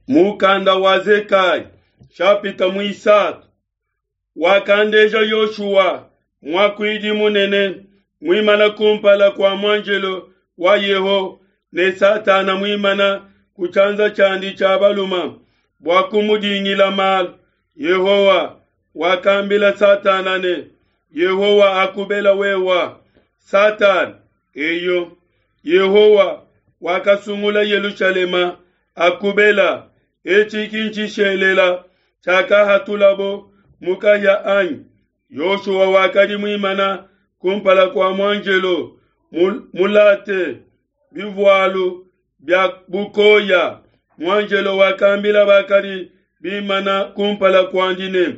Mukanda wa Zekaya shapita muisatu wakandeja Yoshua muakuidi munene muimana kumpala kua muanjelo wa Yehowa ne Satana muimana ku tshianza tshiandi tshia baluma bua kumudingila malu. Yehowa wakambila Satana ne, Yehowa akubela wewa Satana. Eyo, Yehowa wakasungula Yelushalema akubela. Etshi ki ntshishelela tshiakahatulabo mu kahia anyi? Yoshua wakadi muimana kumpala kua muanjelo mulate bivualu bia bukoya. Muanjelo wakambila bakadi bimana kumpala kuandi ne,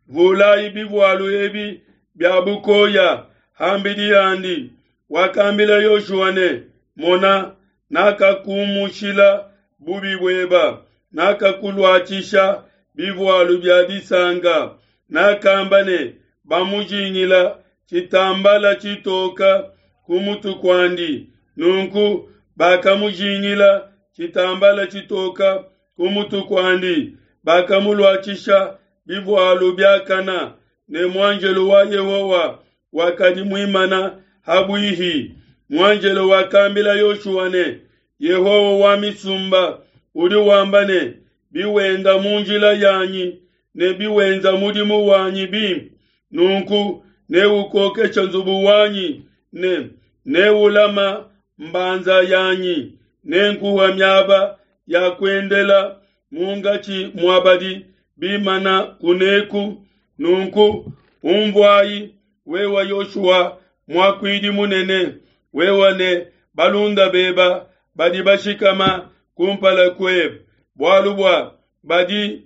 Vulayi bivualu ebi bia bukoya hambidi handi. Wakambila Yoshua ne, Mona, nakakumushila bubi bueba, nakakuluatshisha bivualu bia disanka. Nakamba ne, Bamujingila tshitambala tshitoka ku mutu kuandi. Nunku bakamujingila tshitambala tshitoka ku mutu kuandi, bakamuluatshisha bivualu biakana, ne muanjelo wa Yehowa wakadi muimana ha buihi. Muanjelo wakambila Yoshua ne, Yehowa wa misumba udi wamba ne, Biwenda mu njila yanyi ne biwenza mudimu wanyi bimpe, nunku neukokeshe nzubu wanyi ne neulama mbanza yanyi, nenkuha miaba ya kuendela munkatshi mua badi bimana kuneku. Nunku unvuayi, wewe Yoshua muakuidi munene, wewe ne balunda beba badi bashikama kumpala kuebe, bualu bua badi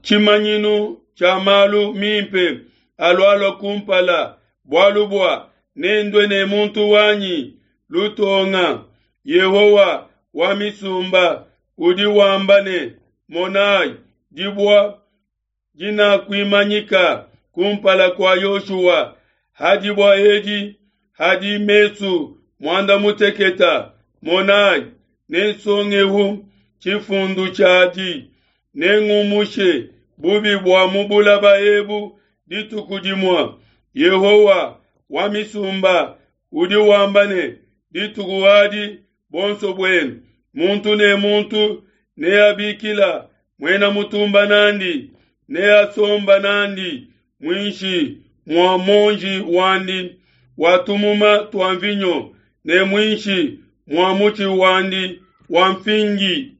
tshimanyinu tshia malu mimpe alualua kumpala, bualu bua nendue ne muntu wanyi lutonga. Yehowa wa misumba udi wamba ne, Monayi, dibua dinakuimanyika kumpala kua Yoshua, ha dibua edi hadi mesu muanda muteketa. Monayi, nensongehu tshifundu tshiadi, nengumushe bubi bua mu bulaba ebu dituku dimue. Yehowa wa misumba udi wamba ne, Dituku adi bonso buenu, muntu ne muntu neabikila muena mutumba nandi, neasomba nandi muinshi mua muonji wandi wa tumuma tua mvinyo ne muinshi mua mutshi wandi wa mfingi.